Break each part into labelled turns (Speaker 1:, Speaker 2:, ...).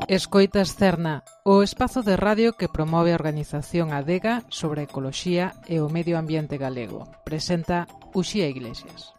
Speaker 1: Escoitas Cerna, o espazo de radio que promove a organización Adega sobre a ecoloxía e o medio ambiente galego. Presenta Uxía Iglesias.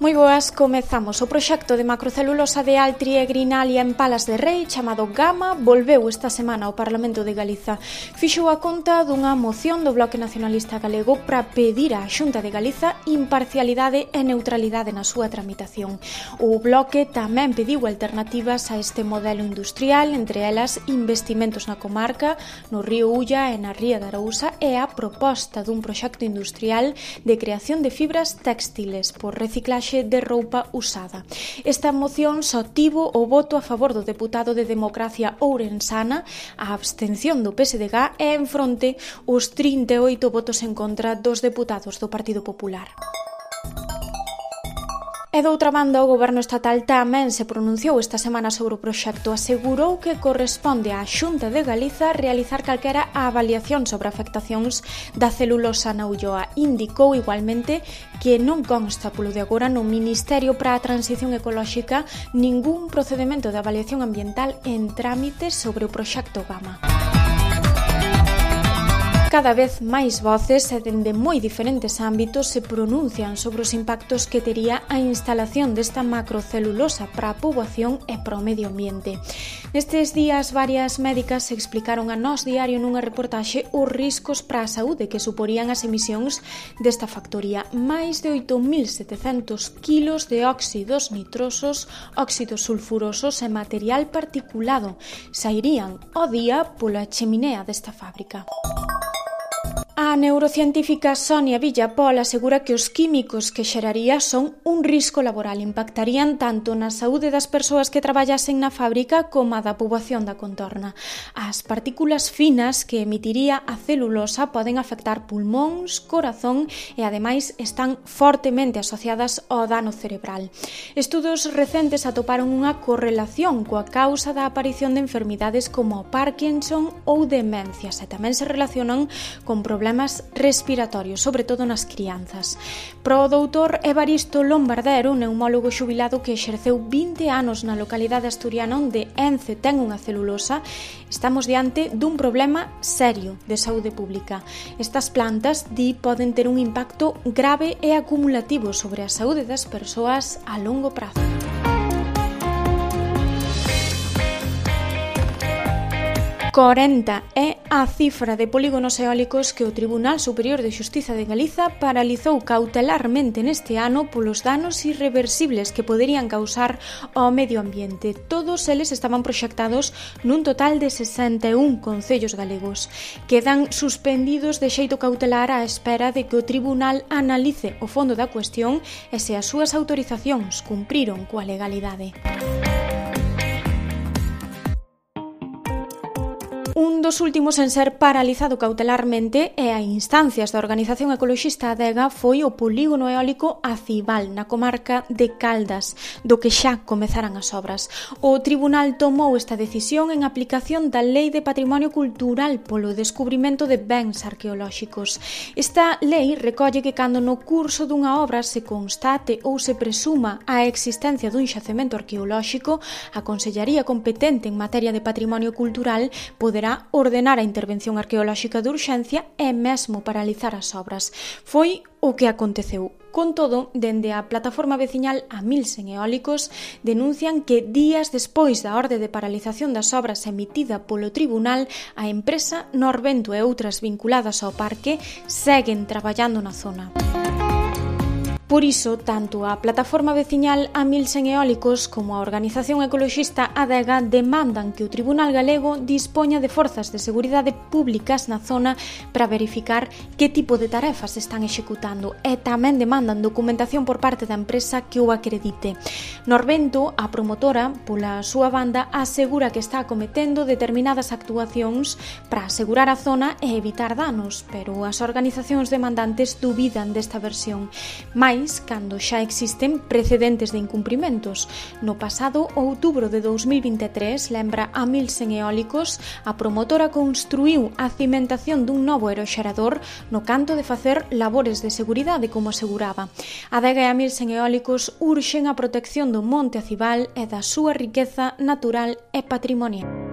Speaker 2: Moi boas, comezamos. O proxecto de macrocelulosa de Altri e Grinalia en Palas de Rei, chamado Gama, volveu esta semana ao Parlamento de Galiza. Fixou a conta dunha moción do Bloque Nacionalista Galego para pedir á Xunta de Galiza imparcialidade e neutralidade na súa tramitación. O Bloque tamén pediu alternativas a este modelo industrial, entre elas investimentos na comarca, no río Ulla e na ría de Arousa, e a proposta dun proxecto industrial de creación de fibras textiles por reciclaxe de roupa usada. Esta moción só tivo o voto a favor do deputado de Democracia ourensana, a abstención do PSDG e en fronte os 38 votos en contra dos deputados do Partido Popular. E doutra banda, o Goberno estatal tamén se pronunciou esta semana sobre o proxecto. Asegurou que corresponde á Xunta de Galiza realizar calquera avaliación sobre afectacións da celulosa na Ulloa. Indicou igualmente que non consta polo de agora no Ministerio para a Transición Ecolóxica ningún procedemento de avaliación ambiental en trámite sobre o proxecto Gama. Cada vez máis voces e dende moi diferentes ámbitos se pronuncian sobre os impactos que tería a instalación desta macrocelulosa para a poboación e para o medio ambiente. Nestes días, varias médicas explicaron a Nós Diario nunha reportaxe os riscos para a saúde que suporían as emisións desta factoría. Máis de 8.700 kilos de óxidos nitrosos, óxidos sulfurosos e material particulado sairían ao día pola cheminea desta fábrica. A neurocientífica Sonia Villapol asegura que os químicos que xeraría son un risco laboral, impactarían tanto na saúde das persoas que traballasen na fábrica como a da poboación da contorna. As partículas finas que emitiría a celulosa poden afectar pulmóns, corazón e ademais están fortemente asociadas ao dano cerebral. Estudos recentes atoparon unha correlación coa causa da aparición de enfermidades como o Parkinson ou demencias e tamén se relacionan con problemas respiratorios, sobre todo nas crianzas. Pro doutor Evaristo Lombardero, neumólogo xubilado que exerceu 20 anos na localidade asturiana onde Ence ten unha celulosa, estamos diante dun problema serio de saúde pública. Estas plantas, poden ter un impacto grave e acumulativo sobre a saúde das persoas a longo prazo. 40 é a cifra de polígonos eólicos que o Tribunal Superior de Xustiza de Galiza paralizou cautelarmente neste ano polos danos irreversibles que poderían causar ao medio ambiente. Todos eles estaban proxectados nun total de 61 concellos galegos. Quedan suspendidos de xeito cautelar á espera de que o Tribunal analice o fondo da cuestión e se as súas autorizacións cumpriron coa legalidade. Un dos últimos en ser paralizado cautelarmente e a instancias da organización ecoloxista Adega foi o polígono eólico Acibal, na comarca de Caldas, do que xa comezaran as obras. O tribunal tomou esta decisión en aplicación da Lei de Patrimonio Cultural polo descubrimento de bens arqueolóxicos. Esta lei recolle que cando no curso dunha obra se constate ou se presuma a existencia dun xacemento arqueolóxico, a Consellaría competente en materia de patrimonio cultural poderá ordenar a intervención arqueolóxica de urxencia e mesmo paralizar as obras. Foi o que aconteceu. Con todo, dende a plataforma veciñal Amilsen Eólicos denuncian que días despois da orde de paralización das obras emitida polo tribunal, a empresa Norvento e outras vinculadas ao parque seguen traballando na zona. Por iso, tanto a plataforma veciñal Amilsen Eólicos como a organización ecoloxista Adega demandan que o Tribunal Galego dispoña de forzas de seguridade públicas na zona para verificar que tipo de tarefas están executando e tamén demandan documentación por parte da empresa que o acredite. Norvento, a promotora, pola súa banda, asegura que está acometendo determinadas actuacións para asegurar a zona e evitar danos, pero as organizacións demandantes dubidan desta versión. Mais máis cando xa existen precedentes de incumprimentos. No pasado outubro de 2023, lembra a 1100 eólicos, a promotora construiu a cimentación dun novo aeroxerador no canto de facer labores de seguridade, como aseguraba. A Adega e a 1100 eólicos urxen a protección do monte Acibal e da súa riqueza natural e patrimonial.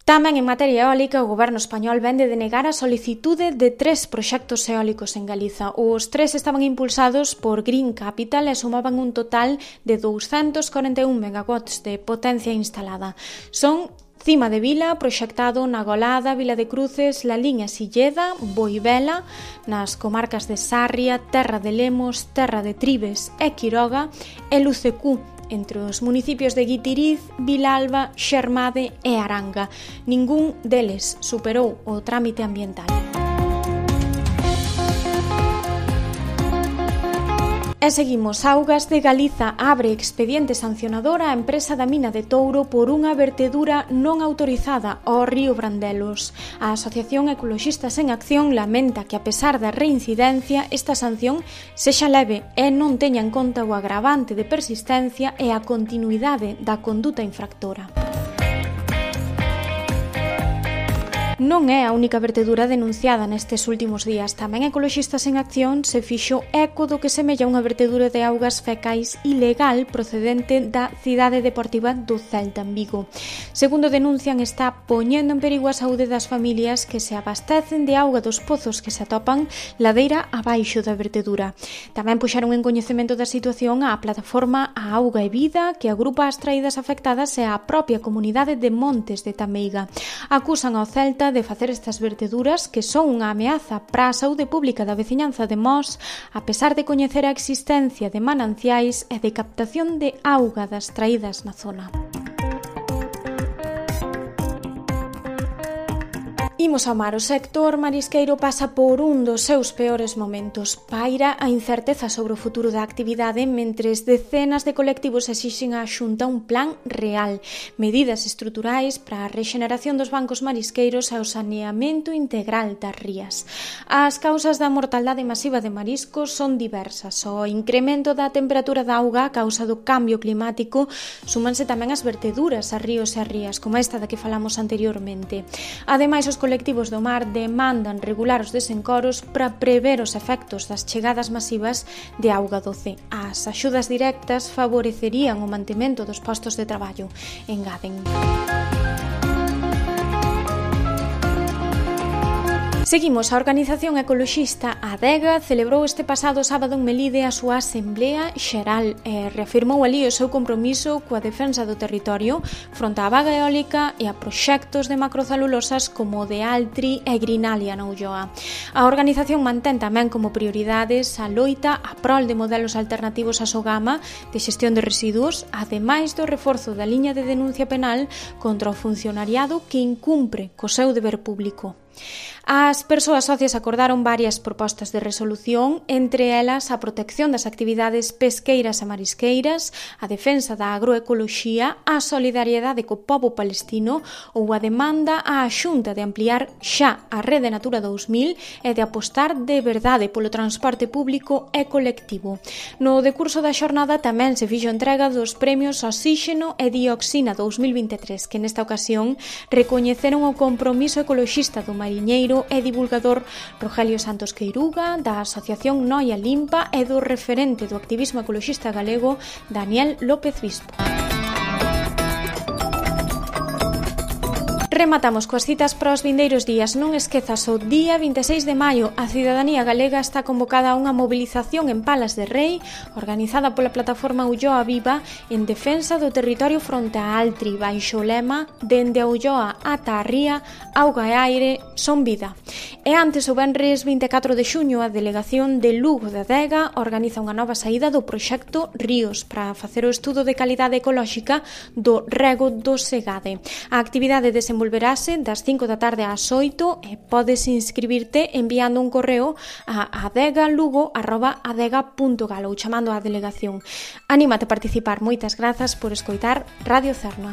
Speaker 2: Tamén en materia eólica, o goberno español vén de denegar a solicitude de 3 proxectos eólicos en Galiza. Os 3 estaban impulsados por Green Capital e sumaban un total de 241 megawatts de potencia instalada. Son Cima de Vila, proxectado na Golada, Vila de Cruces, La Liña, Silleda, Boivela, nas comarcas de Sarria, Terra de Lemos, Terra de Tribes e Quiroga, e Lucecú, entre os municipios de Guitiriz, Vilalba, Xermade e Aranga. Ningún deles superou o trámite ambiental. E seguimos. Augas de Galiza abre expediente sancionador á empresa da mina de Touro por unha vertedura non autorizada ao río Brandelos. A Asociación Ecoloxistas en Acción lamenta que, a pesar da reincidencia, esta sanción sexa leve e non teña en conta o agravante de persistencia e a continuidade da conduta infractora. Non é a única vertedura denunciada nestes últimos días. Tamén Ecoloxistas en Acción se fixo eco do que semella unha vertedura de augas fecais ilegal procedente da cidade deportiva do Celta en Vigo. Segundo denuncian, está poñendo en perigo a saúde das familias que se abastecen de auga dos pozos que se atopan ladeira abaixo da vertedura. Tamén puxeron en coñecemento da situación a plataforma A Auga e Vida, que agrupa as traídas afectadas e a propia comunidade de Montes de Tameiga. Acusan ao Celta de facer estas verteduras que son unha ameaza para a saúde pública da veciñanza de Mos, a pesar de coñecer a existencia de mananciais e de captación de auga das traídas na zona. Imos ao mar. O sector marisqueiro pasa por un dos seus peores momentos. Paira a incerteza sobre o futuro da actividade mentres decenas de colectivos exixen á Xunta un plan real, medidas estruturais para a rexeneración dos bancos marisqueiros e o saneamento integral das rías. As causas da mortaldade masiva de mariscos son diversas. O incremento da temperatura da auga a causa do cambio climático, súmanse tamén as verteduras a ríos e a rías, como esta da que falamos anteriormente. Ademais, os colectivos do mar demandan regular os desencoros para prever os efectos das chegadas masivas de auga doce. As axudas directas favorecerían o mantemento dos postos de traballo, engaden. Seguimos. A organización ecoloxista Adega celebrou este pasado sábado en Melide a súa Asamblea Xeral e reafirmou alí o seu compromiso coa defensa do territorio fronte á vaga eólica e a proxectos de macrocelulosas como o de Altri e Grinalia na Ulloa. A organización mantén tamén como prioridades a loita a prol de modelos alternativos á sogama de xestión de residuos, ademais do reforzo da liña de denuncia penal contra o funcionariado que incumpre co seu deber público. As persoas socias acordaron varias propostas de resolución, entre elas a protección das actividades pesqueiras e marisqueiras, a defensa da agroecoloxía, a solidariedade co pobo palestino ou a demanda á Xunta de ampliar xa a Rede Natura 2000 e de apostar de verdade polo transporte público e colectivo. No decurso da xornada tamén se fixo entrega dos premios Oxígeno e Dioxina 2023, que nesta ocasión recoñeceron o compromiso ecoloxista do mariñeiro e divulgador Rogelio Santos Queiruga, da Asociación Noia Limpa e do referente do activismo ecoloxista galego Daniel López Bispo. Rematamos coas citas para os vindeiros días. Non esquezas, o día 26 de maio a cidadanía galega está convocada a unha movilización en Palas de Rei, organizada pola plataforma Ulloa Viva, en defensa do territorio fronte a Altri, baixo o lema "Dende a Ulloa ata a ría, auga e aire son vida". E antes, o venres 24 de xuño, a delegación de Lugo de Adega organiza unha nova saída do proxecto Ríos para facer o estudo de calidade ecolóxica do rego do Segade. A actividade desenvolverase das 5 da tarde ás 8 e podes inscribirte enviando un correo a adegalugo@adega.gal ou chamando á delegación. Anímate a participar. Moitas grazas por escoitar Radio Cerna.